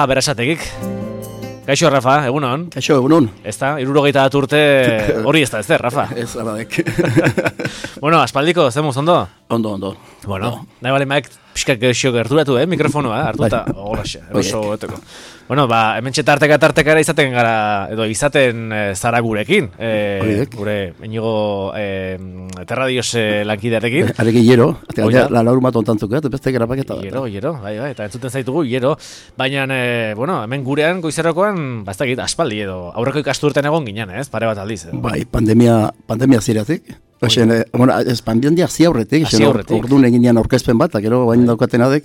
Berasategik. Kaixo, Rafa, egunon. Kaixo, egunon. Ez da, 71 urte hori ez da, Rafa? Ez, aradek. Bueno, aspaldiko, zemuz, ondo? Ondo. Bueno, nahi bale maek pixkak gehiago gerturatu, mikrofonoa, hartuta, holaxe, eroso goeteko. Bueno, hemen tartekara izaten gara, edo izaten zara gurekin, gure Inigo Terradios lankidearekin. Arekin hiero, la laur bat ontantzuk, beste grapaketa. Hiero, bai, eta entzuten zaitugu, hiero. Baina, bueno, hemen gurean, goizerrokoan, bastakit, aspaldi edo, aurreko ikasturten egon ginen, ez? Pare bat aldiz. Bai, pandemia ziratik. Ez pandemia aurretik, orduan eginean aurkezpen bat, gero bain daukatena dek,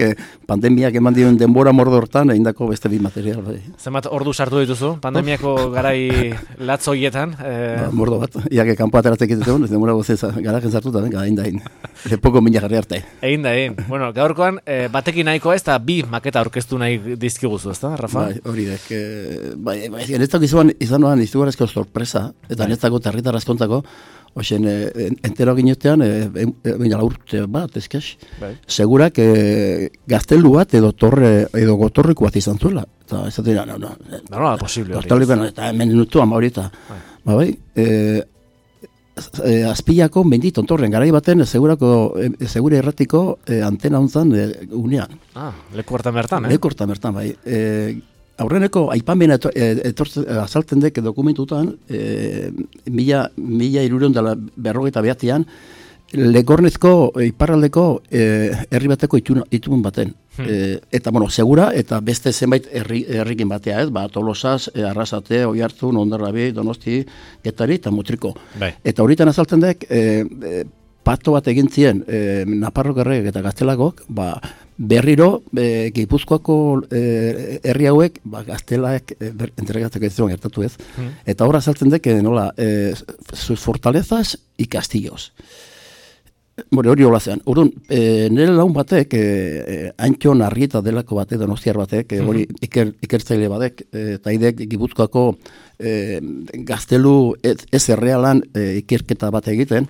pandemiak eman dioen denbora mordortan, egindako beste bi material. Bai. Zenbat ordu sartu dituzu, pandemiako garai latzoietan? Mordo bat, iake kanpo ateratzek egitean, ez denbora gozez, garajen sartuta, egin dain. Lepoko mina jarri arte. Egin dain. Bueno, gaurkoan, batekin nahikoa ez da bi maketa aurkeztu nahi dizkiguzu, ez da, Rafa? Bai, hori dek. Netzako izan noan izugarezko sorpresa, eta netzako territar askontzako, Oixen, entero ginetean, urte bat, ezkez, segurak gaztelu bat edo gotorriko bat izan zuela. Eta ez dira, no. No, posible hori. Eta hemen nutu ama hori eta, bai, azpillako mendit ontorren, garai baten segure erratiko antena hontzan unean. Leku hartan bertan, Leku hartan bertan, bai. Aurreneko aipamena azaltzen dek dokumentutan, mila 1359 Legornezko iparraldeko herri bateko itun baten. Eta, segura, eta beste zenbait herrikin batea, ez? Tolosaz, Arrasate, Oiartzun, Hondarrabi, Donosti, Getari eta Mutriko. Eta horietan azaltzen dek, pato bat egin zien Naparrok erregek eta Gaztelagok, berriro Gipuzkoako herri hauek Gaztelaek entregatzeko ez zuen gertatu ez. Eta horra azaltzen dek, nola, sus fortalezas y castillos. Hori hola zean. Urduan, nire laun batek, Antxon Arrieta delako batek, donostiar batek, hori ikertzaile batek, eta idek Gipuzkoako gaztelu ez errealan ikerketa bat egiten,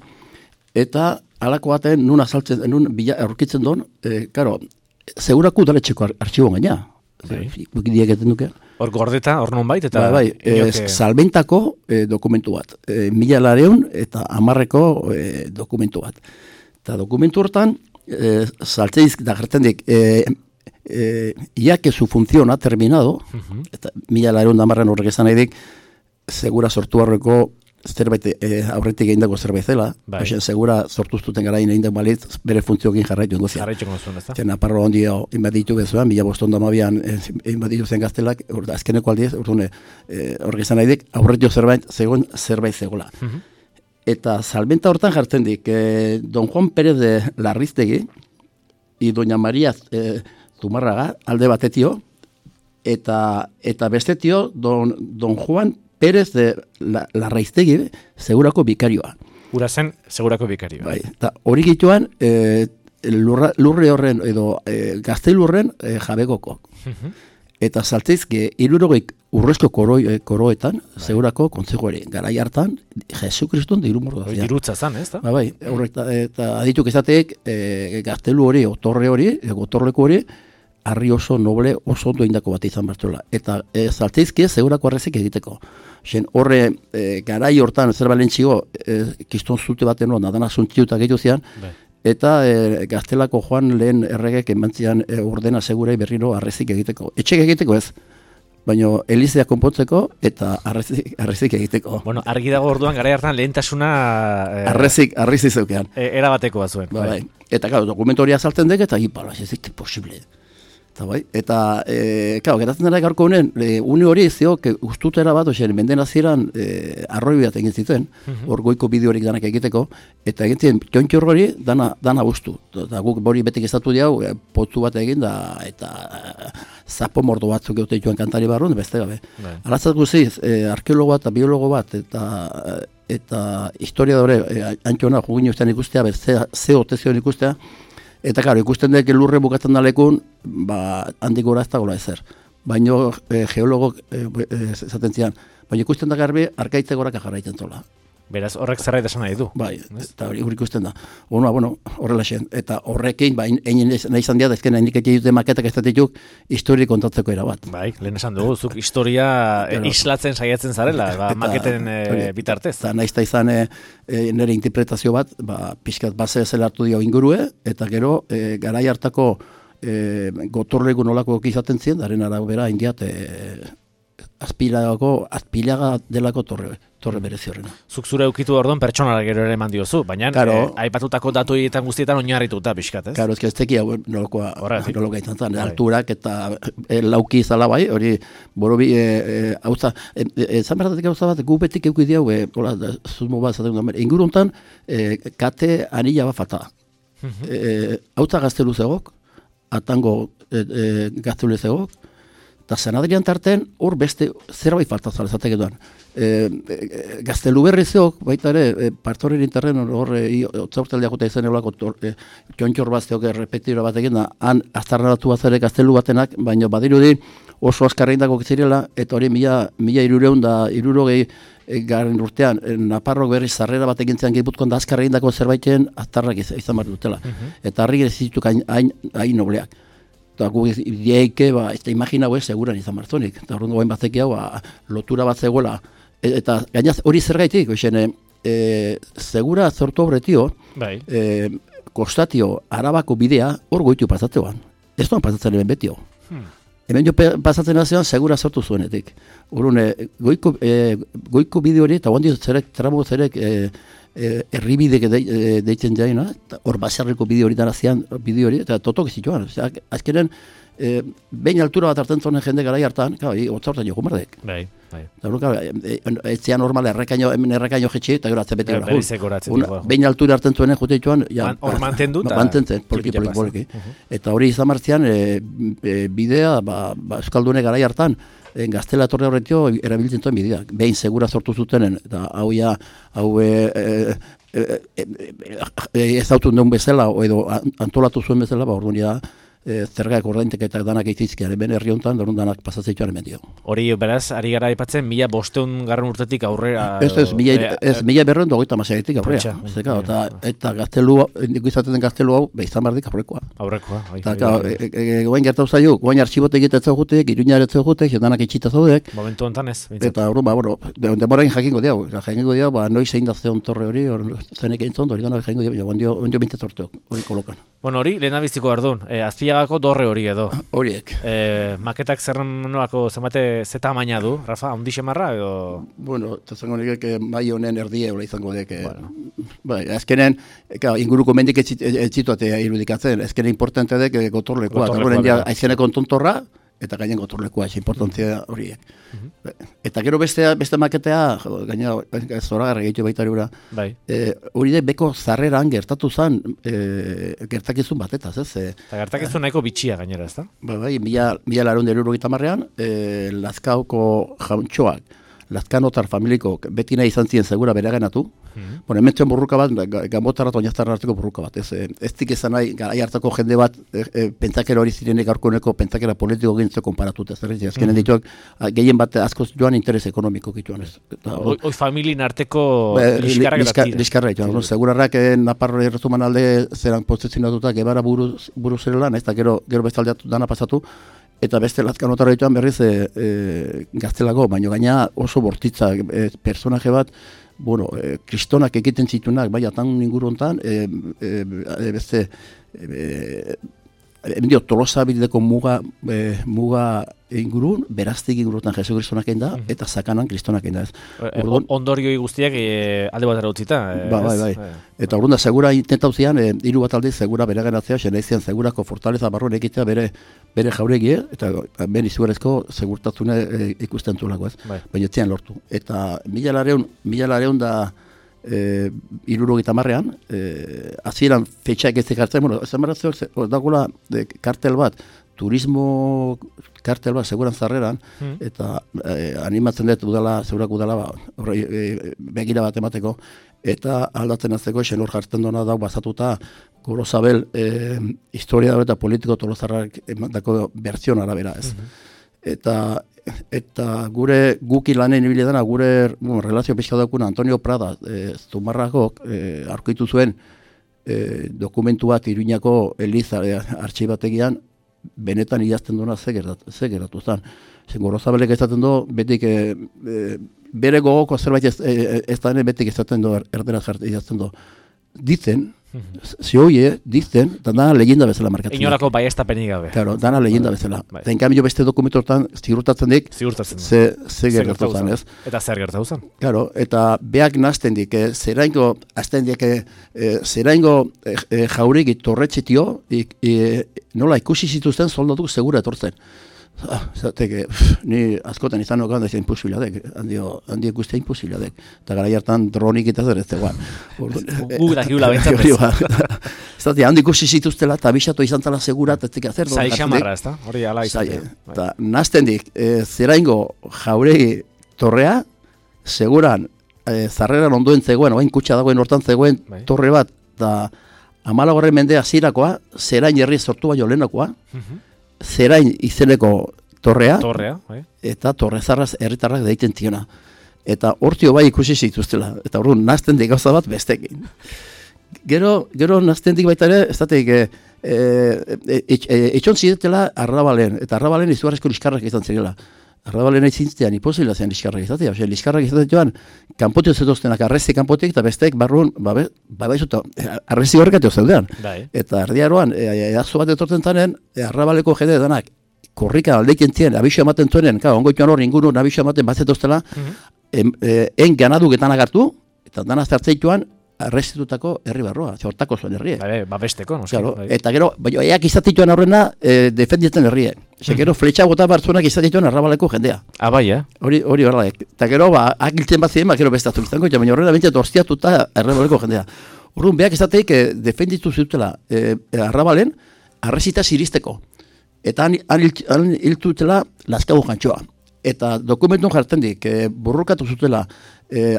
eta alako baten nun azaltzen, nun aurkitzen don, karo, segurako udaletxeko artxiboan gaina. Bukidiak egiten duke. Hor gordeta, hor non bait, eta... Bai, salbentako dokumentu bat. 1900 eta 1000 dokumentu bat. Eta dokumentu hortan, saltzeiz da gertendik, ya que su función ha terminado, eta 1910 horrek esan nahi dik, segura sortu horreko zerbait aurretik egindako zerbait zela, segura sortuztuten gara egindako balitz bere funtzioekin jarraitu induzia. Jarraitu zuen, ez da? Naparro ondio inbaditu bezuan, 1512an inbaditu zen Gaztelak, azkeneko aldiz, horrek izan nahi dik, aurretik zerbait zegoela. Eta salbenta hortan jartzen dik, Don Juan Pérez de Larriztegi y Doña María Zumarraga alde batetio, eta bestetio Don Juan Pérez de Larraiztegi, segurako bikarioa. Ura zen, segurako bikarioa. Bai, eta hori gituan, lurre horren, edo gaztelurren jabegoko. Eta saltzeizke, 60 urrezko koroetan, segurako kontzegoari. Garai hartan, Jesu Kristun dirumordo. Dirutza zan, ez da? Bai, eta adituk ezateek, gaztelu hori, otorre hori, gotorreko hori, harri oso noble, oso ondo indako bat izan bertuela. Eta saltzeizke, segurako arrezik egiteko. Horre, garai hortan, zer balentxigo, kiston zute baten nadana zuntziutak egitu zian, eta Gaztelako Joan lehen erregek emantzian ordena segurei berriro arrezik egiteko. Etxek egiteko ez, baina Elizea konpontzeko eta arrezik egiteko. Bueno, argi dago orduan, garai hartan lehentasuna... Arrezik zeukean. Erabateko bat zuen. Bai. Eta, dokumentu hori azaltzen dek, eta gipala, ez zik posible. Eta, geratzen dara gaurko honen, une hori zio, ustutera bat, menden azieran arroi bat egin zituen, hor goiko bideorik danak egiteko, eta egin ziren, tiontxor hori dana guztu. Eta guk hori betik estatu diau, potzu bat egin da, eta zapo mordo batzuk eute joan kantari barrun, beste gabe. Alatzat guziz, arkeologo bat, biologo bat, eta historiadore, Antxona, jugin ustean ikustea, ze otezion ikustea, eta, ikusten dek lurre bukatzen dalekun, handik gora ez da gola ezer. Baina geologok esaten zian, baina ikusten da garbi, arkaitze gorak jarraitzen zola. Beraz, horrek zerbait esan nahi du. Bai, eta hori ikusten da. Horrela zen. Eta horrekin, egin nahi izan diat, ezken handik egin dute maketak ez dituk, historia kontatzeko erabat. Bai, lehen esan dugu, zuk historia islatzen saiatzen zarela, maketen bitartez. Eta nahi izan nire interpretazio bat, pixkat base zela hartu dio ingurue, eta gero, garai hartako gotorlegu nolako izaten ziren, daren arabera indiat azpilaga delako torre berezi horrena. Zuk zure ukitu orduan pertsonara gero ere eman diozu, baina aipatutako datuetan guztietan oinarrituta pixkat, ez? Karo, ez teki hau nolokoa izan zen, alturak eta lauki izala bai, hori borobi, hauza, zan berdatik hauza bat, gu betik eukid diau, zuzmo bat zaten dut, inguruntan, kate anila bat falta. Hauza gaztelu zegok, atango gaztelu zegok, eta San Adrian tarten hor beste zerbait faltazala esatek duan. Gaztelu berrizeok, baita ere, partoren interren hor otzaurteldeak eta izan eulako txontxor bazteok repetira bat egin da, han aztarraratu bazare gaztelu batenak, baina badirudi oso askarreindako zirela, eta hori mila irurogei garen urtean, Naparrok berriz zarrera bat egin zean Gipuzkoan da askarreindako zerbaiten aztarrak izan bat dutela. Eta harri zituk hain nobleak. Eta gu ideike, ez da imagina seguran izan marzonik. Eta hori goen batzeki hau, lotura bat zegoela. Eta gainaz hori zer gaitik, segura zortu horretio, kostatio arabako bidea hor goitu pasatzeoan. Ez doan pasatzen hemen betio. Hemen jo pasatzen azean segura sortu zuenetik. Horun, goiko bide hori, eta guandio zerek, tramo zerek, herribidek deitzen jaina, hor basarriko bide hori darazian bide hori, eta totok zituan. Azkenen, behin altura bat hartzen zonen jende garai hartan, otzaurtan joko mardek. Bai. Ez zean normal errekaino jetxe, eta gero atzebeti hori. Behin altura hartzen zuen jute joan, hor mantendu? Mantentzen, poliki. Eta hori izan martzian, bidea, Euskaldune garai hartan, Gaztela torre horretio erabiltzen zuen bideak. Behin segura sortu zutenen, eta hau ez autun deun bezala, edo antolatu zuen bezala, orduan da, zergaik ordaintek eta danak eitizkiaren, ben herri honetan, dorun danak pasatzeituaren mendio. Hori, beraz, ari gara aipatzen, 1500 urtetik aurrera... Ez, 1250 aurrera. Eta gaztelu, indiko izaten den gaztelu hau, izan bardik aurrekoa. Eta, goain gertau zaio, goain arxibote egitetza jutek, iruñaretza jutek, danak itxita zaudek. Momentu honetan ez. Eta, demorain jakingo diau, noiz egin da zeon torre hori, zenek egin zondo, hori gana jakingo diau, ondio bintet sorteok, hori kolokan. Bueno, hori, lehenabiziko ardun, Azpiagako dorre hori edo. Horiek. Maketak zerrenolako zenbate zeta amaina du, Rafa, ondixe marra edo? Bueno, eta zango nik mai honen erdie hola izango dek. Bai, azkenen, inguruko mendik etxituate irudikatzen, azkenen importante dek gotorlekoa. Aizeneko tontorra, eta gainen gotorlekoa, ez importantzia horiek. Eta gero beste maketea, gaina zoragarra gehiago baita hori hori beko zarreran gertatu zen gertakizun batetaz, ez? Eta gertakizun nahiko bitxia gainera, ez da? Bai, 1970an, Lazkaoko jauntxoak, Lazkanotar familiko beti nahi izan ziren segura bere ganatu. Bueno, hemen burruka bat, Gambotarra eta Oñaztarra arteko burruka bat. Ez dik ezan nahi, garai hartako jende bat, pentsakera hori zirenek aurkoneko pentsakera politiko gintzeko konparatut. Azkenen dituak, gehien bat askoz joan interes ekonomiko gituan. Hoi familien arteko liskarrak datira. Liskarrak joan. Segurarrak Naparro errezuman alde zeran posizionatuta gebara buru zerela, eta gero bestaldeatu dana pasatu. Eta beste Lazkanotarra dituan berriz gaztelago, baina gaina oso bortitza personaje bat, bueno, kristonak egiten zitunak, bai, atan inguru honetan, beste, Tolosa bideko muga ingurun, beraztik ingurutan Jesu Kristonak egin da, eta Sakanan Kristonak egin da. Ondorioi guztiak alde batera utzita. Bai. Eta orduan da, segura intentauzian, hiru bat alde, segura bere genatzea, xenaizian segurako fortaleza barruan egitea bere jauregie, eta ben izugarezko segurtatzune ikusten zuelako ez. Baina etzian lortu. Eta mila lareun da, 70ean, hasieran fetxak ez ekartzen, bueno, esan baratzeok, dagoela kartel bat, turismo kartel bat, seguran zarreran, eta animatzen dut segurak udala, begira bat emateko, eta aldatzen azteko, esen hor jartzen dona dau bazatuta, Gorozabel, historia eta politiko Tolosarrak emandako berzion arabera, ez. Eta eta guki lanen ibili dena, gure relazio pixka daukuna Antonio Prada, Zumarragok, aurkitu zuen dokumentu bat Iruñako Eliza artxibategian, benetan idazten duena ze geratu zen. Gorozabelek ezaten du, betik bere gogoko zerbait ez da betik ezaten du, erderaz idazten du. Ditzen, zioie, dicen, dana leyenda bezala markatzen. Inolako baiestapenik gabe. Claro, dana leyenda bezala. Eta en cambio beste dokumentotan ziurtatzen dik, ze gertatu zen, ez? Eta zer gertatu zen? Claro, eta beak nazten dik, zeraingo, azten dik, zeraingo jauregi torretxetio, nola ikusi zituzten soldatu segura etortzen. Zateke, ni askotan izan nokan da imposibiladek, handi guztia imposibiladek. Eta gara hartan dronik eta zer ez zegoan. Dakigula bentsatez. Zate, handi ikusi zituztela eta abisatu izan zala segura, eta ezik azer. Zai xamarra, ez da? Hori ala izan. Eta nazten dik, zeraingo jauregi torrea, seguran, zarreran ondoen zegoen, oain kutsa dagoen hortan zegoen torre bat, eta 14. mende hasirakoa, zerain herri sortu baino lehenakoa, Zerain izeneko torrea, eta torrezarraz herritarrak deiten tiona. Eta hortio bai ikusi zituztela, eta orduan nazten dik gauza bat bestekin. Gero nazten dik baita ere, ez dateik, etxon ziretela Arrabalen, eta Arrabalen izugarrezko liskarrak izan zirela. Arrabalen izintzean iposila zen liskarrak izatea, liskarrak izatea joan, kanpotio zetoztenak arrezi kanpotik, eta besteek barruan, babaizuta, arrezi horrekateo zeudean. Eta erdiaroan, edazo bat etortzen zanen, Arrabaleko jende danak, korrika aldeiken zien, abixo ematen zuenen, ongoituan hor inguruan abixo ematen bat zetoztela, en ganaduk etan agartu, eta dana zartzeituan, arrezitutako herri barroa, hortako zuen herrie. Babesteko, no? Eta gero, eak izatituan horrena defendietzen herrie. Gero, fletxa bota bartzuenak izatituan Arrabaleko jendea. Bai, Hori horrela. Eta gero, akiltzen bat ziren, gero bestatu izango, baina horrela bintzat orziatuta Arrabaleko jendea. Horren, beak izateik defenditu zutela Arrabalen arrezita ziristeko. Eta han hiltutela Lazkago jantxoa. Eta dokumentun jartzen dik, burrukatu zutela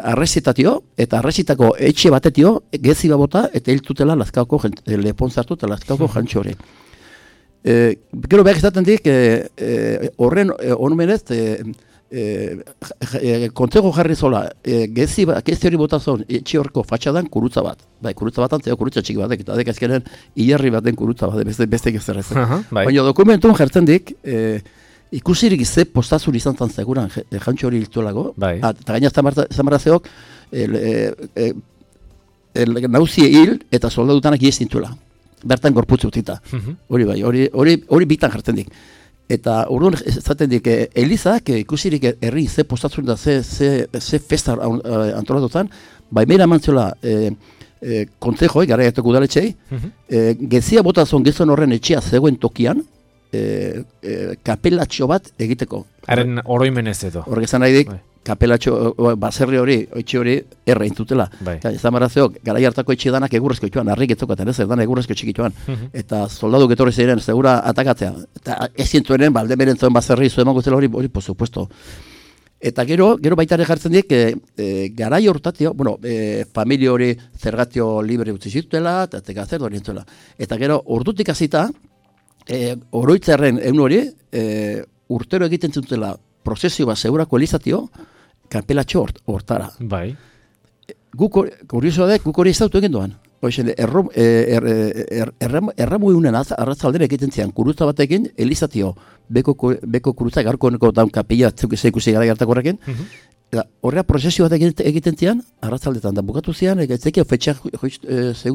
arrezitatio, eta arrezitako etxe batetio, gezi bota, eta hiltutela Lazkaoko lepon zartu eta Lazkaoko jantxo hori. Gero behar izaten dik, horren onumenez, kontzego jarri zola, gezi hori botazon, etxe horreko fatxadan kurutza bat. Kurutza bat antzeo, kurutza txiki batek, eta dek azkenen hilarri baten kurutza bat, beste gezerrez. Baina dokumentun jartzen dik, ikusirik ze postazur izan zan zeguran jantxo hori hiltuelago, eta gaina zamarrazeok nauzie hil eta soldadutanak iestintuela. Bertan gorputze utita. Hori bai, hori bitan jartzen dik. Eta urduan zaten dik, Elizak ikusirik herri ze postazur da ze festa antolatutan, baimera mantziola kontzejoi, gara jateko udaletxei, gezia botazon gizon horren etxea zegoen tokian, kapelatxo bat egiteko. Haren oroimenez edo. Horrek esan nahi dik, kapelatxo, baserri hori, etxe hori, erra intutela. Zamarazeok, gara hartako etxe danak egurrezko itxuan, harrik etzokaten ez, danak egurrezko txikituan. Eta soldadu getorri ziren, segura atakatzea. Eta ez zintuenen, balde beren zuen baserri, zuen magozela hori, por supuesto. Eta gero baitare jartzen dik, garai hortatio, familia hori zergatio libre utzi zitutela, eta tekazer hori entzuela. Eta gero, ordutik hasita, oroitzarren egun hori, urtero egiten zutela prozesio bat segurako elizatio, kanpelatxo hortara. Bai. Guk hori ez dautu egin doan. Erramu egunen arratzaldera egiten zian, kurutza batekin elizatio, beko kurutza, garkoneko daun kapilla, zeikusi gara gertako horrekin, horrea prozesio bat egiten zian, arratzaldetan, da bukatu zian, egitzeki ofetxeak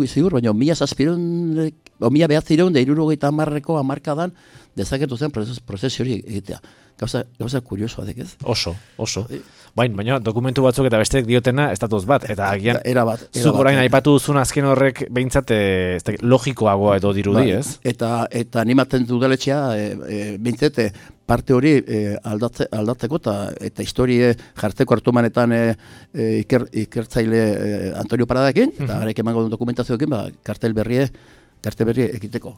zigur, baina 1900 hamarkadan dezaketu zen prozesio hori egitea. Gauza kuriosoa dek ez? Oso. Baina dokumentu batzuk eta besteek diotena estatuz bat. Eta agian, zuk orain aipatu duzun azken horrek behintzat logikoagoa edo dirudi, ez? Eta animatzen dudaletxea, behintzat, parte hori aldatzeko eta historie jartzeko hartumanetan ikertzaile Antonio Paradakin, eta garek emango duen dokumentazioekin, kartel berri egiteko.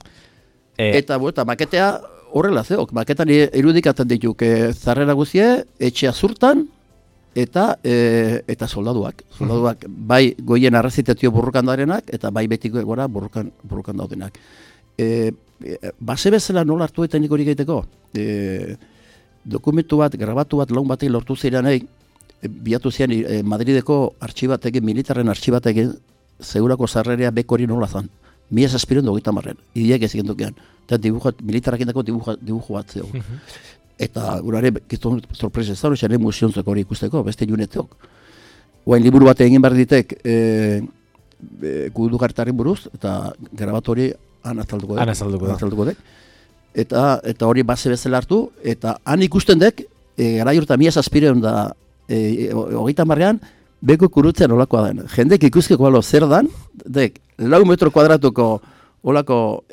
Eta maketea horrela zeok, maketan irudikatzen dituk zarrera guzie, etxea zurtan, eta soldaduak. Soldaduak bai goien arrazitatio burrukan daudenak, eta bai betiko gora burrukan daudenak. Base bezala nola hartu eta nik hori gaiteko? dokumentu bat, grabatu bat, laun batek lortu zirenei, biatu zian Madrideko artxibatekin, militarren artxibatekin, segurako sarrerea bekori nola zan. 1730 Idiak ez egendukean. Eta militarrak indako dibujo bat zeu. Eta urare, gizton sorpresa ez da, hori museontzeko hori ikusteko, beste juneteok. Oain liburu bat egin behar ditek gudukartaren buruz, eta grabatu hori anazalduko dek. Eta hori base bezala hartu, eta han ikusten dek, gara jurta 1700 da, 30 beko kurutzen olakoa den. Jendek ikuskeko balo zer dan, dek, 4 metro kuadratuko olako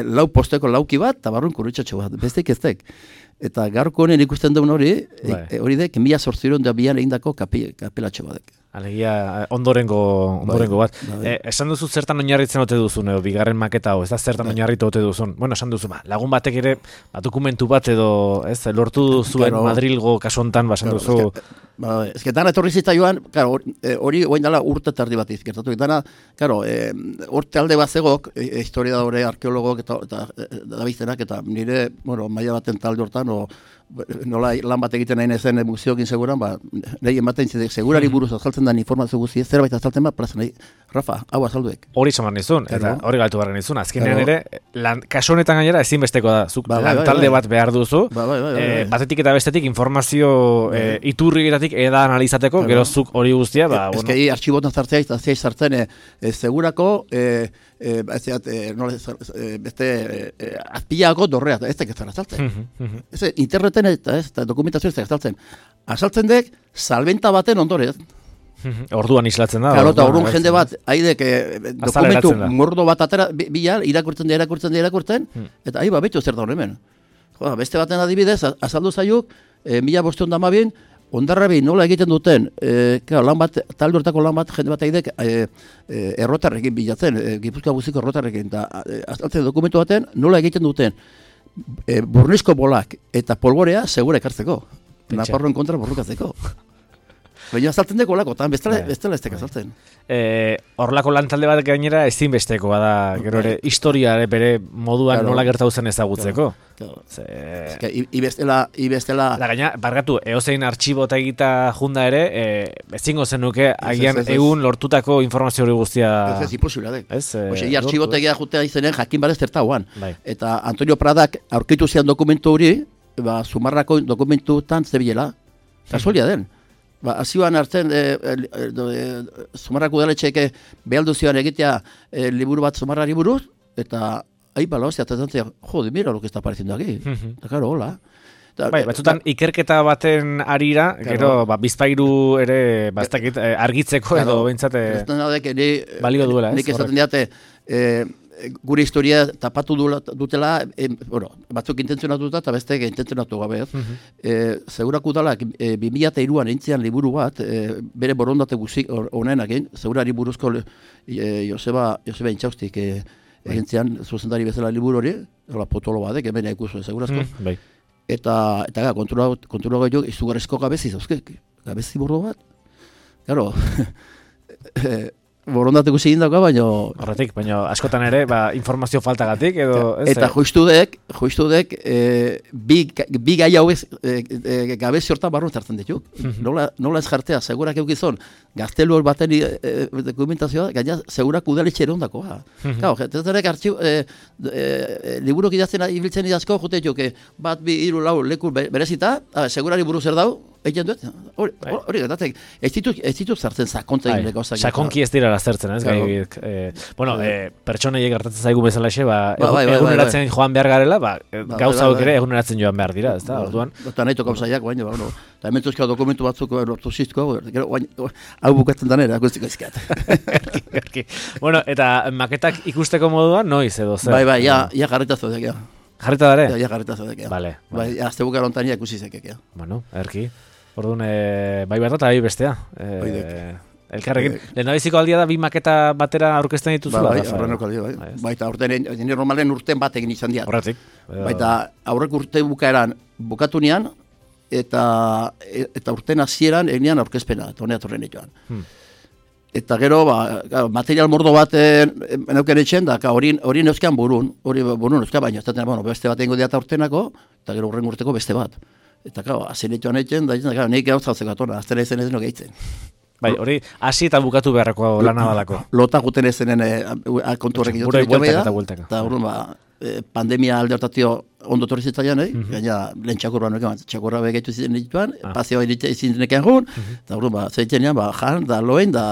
lau posteko lauki bat, eta barrun kurutxatxo bat, bestek ez dek. Eta gaurko honen ikusten duen hori, hori dek, 1802 egindako kapelatxo bat dek. Alegia, ondorengo bat. Esan duzu zertan oinarritzen ote duzun, edo bigarren maketa hau, ez da zertan oinarritu ote duzun. Bueno, esan duzu, lagun batek ere, dokumentu bat edo, ez, lortu zuen Madrilgo kasu hontan, esan duzu. Ez que dana etorri zita joan, hori oain dala urte tardi bat izkertatu. Dana, urte alde bat zegok, historiadore, arkeologok eta dabiztenak, eta nire, maila baten talde hortan, nola lan bat egiten nahi nezen museokin seguran, nahi ematen zidek, segurari buruz azaltzen da informazio guzti, zerbait azaltzen bat, plaza nahi, Rafa, hau azalduek. Hori samar nizun, eta hori galtu barren nizun, azkenean ere, kasu honetan gainera ezinbesteko da, zuk talde bat behar duzu, batetik eta bestetik informazio iturrietatik eda analizateko, gero zuk hori guztia, ez que artxibotan zartzea, eta zia zartzen, segurako, azpilago dorrea, ez da kezara azaltzen. Interneten eta dokumentazioa ez da azaltzen. Azaltzen dek, salbenta baten ondorez. Orduan islatzen da. Eta orduan jende bat, haidek dokumentu mordo bat atera, bila, irakurtzen, eta ahi betu zer da hemen. Beste baten adibidez, azaldu zaiuk, 1512 Ondarrabi nola egiten duten, lan bat, talde hortako lan bat, jende bat haidek errotarrekin bilatzen, Gipuzkoa guztiko errotarrekin, eta azaltzen dokumentu baten nola egiten duten burnizko bolak eta polborea segura ekartzeko. Naparroen kontra borrukatzeko. Baina azaltzen deko lako, eta bestela ez teka azaltzen. Horlako lantalde bat gainera ezinbestekoa da, gero ere, historia bere moduan nola gertatu zen ezagutzeko. Ibestela... Da gaina, bargatu, eozein artxibota egita junda ere, ezingo zenuke agian egun lortutako informazio hori guztia... Ez imposibila dek. Artxibota egia jutea izenen jakin barez zerta guan. Eta Antonio Pradak aurkitu zian dokumentu hori, Zumarrako dokumentutan zebilela. Kasualia den. Azioan hartzen, Zumarrako udaletxeek behaldu zioan egitea liburu bat Zumarrari buruz, eta bala hostia, eta zantzea, jode, mira lo que está apareciendo aquí. Eta karo, hola. Batzutan ikerketa baten arira, gero bizpairu ere argitzeko edo behintzate balio duela. Nik esaten diate, gure historia tapatu dutela, batzuk intentzionatuta eta besteek intentzionatu gabe. Segurako udalak 2003an entzian liburu bat, bere borondate guzik honenak, segurari buruzko Joseba Intxaustik egintzean zuzendari bezala liburu hori, potolo bat, hemen ikusu segurazko. Eta kontura gehiago izugarrizko gabezi zauzkek. Gabezi borro bat. Claro, borondate guzi indako, baina... Horretik, baina askotan ere, informazio faltagatik, edo... Eta justu dek, bi gai hauez gabezi hortan barruan zartzen dituk. Nola ez jartea, segurak eukizon, gaztelu baten dokumentazioa, gaina segurak udaletxe ere ondakoa. Gau, zetarek liburok idazten ibiltzen idazko, jute dituk, bat, bi, hiru, lau, leku berezita, segurari buruz erdau, egiten duet, hori gatatek, ez ditut zartzen sakontza egin leko. Sakonki ez dira lazertzen, ez gai. Bueno, pertsoneiek gertatzen zaigu bezalaxe, eguneratzen joan behar garela, gauza hau ere eguneratzen joan behar dira, ez da, orduan. Eta nahi tokauzaiak, baina, eta hementuzko dokumentu batzuk lortu zizko, hau bukatzen danera, guztiko izkat. Bueno, eta maketak ikusteko moduan, noiz edo zer? Bai, ja jarritazo dek, ja. Jarrita dare? Ja jarritazo dek, ja. Vale. Azte bukar ontan ja ikusi zekek, ja. Bueno, erki. Orduan, bai bat eta bai bestea. Elkarrekin. Lehendabiziko aldia da, bi maketa batera aurkezten dituzula? Bai, aurreneko aldia, bai. Baita nire normalen urten bat egin izan diat. Horretik. Baita aurrek urte bukaeran bukatu nian, eta urten hasieran egin aurkezpena, eta honea torren joan. Eta gero, material mordo bat neuken etxen, da, hori neuzkean burun neuzkean, baina, beste bat egingo diata urtenako, eta gero urren urteko beste bat. Eta, azenituan etxen, da, nik gauz hau zekatona, aztera izen ez no gehitzen. Bai, hori, hasi eta bukatu beharrako lana badako. Lota guten ezenen kontu horrekin dut. Bueltaka. Eta urrun, pandemia alde hortatio ondo torri zitzaian, gaina lehen txakurra nuekan, txakurra begeitu ziren dituan, paseo izin dineken jun, eta urrun, zeitenean, jan, da loen, da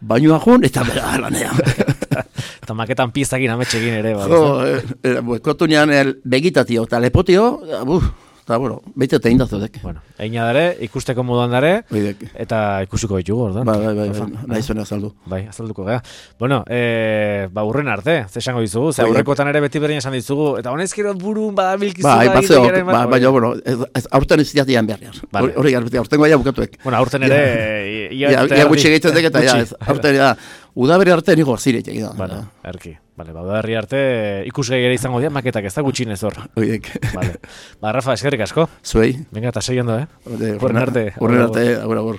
bainua jun, eta bera lanean. Eta maketan piztakin ametxekin ere, kontu nean begitatio, eta lepotio, eta, behite eta indazudek. Eina dare, ikusteko moduan dare, eta ikusiko ditugu, ordan. Bai, nahi zuen azaldu. Bai, azalduko gara. Urren arte, ze esango dizugu, ze aurrekotan ere beti berdin esan dizugu, eta honezkero burun badabilkizu aurten ez ziatian beharrean. Hori garbetik, aurten goia bukatuek. Aurten ere, ia gutxi egiten dek, eta aurten udaberri arte nigo ziret egin. Erki. Udaberri arte ikusgai ere izango dira, maketak ez da gutxinez hor. Oidek. Rafa, eskerrik asko. Zuei. Venga, eta sei ondo, Urren arte, agur.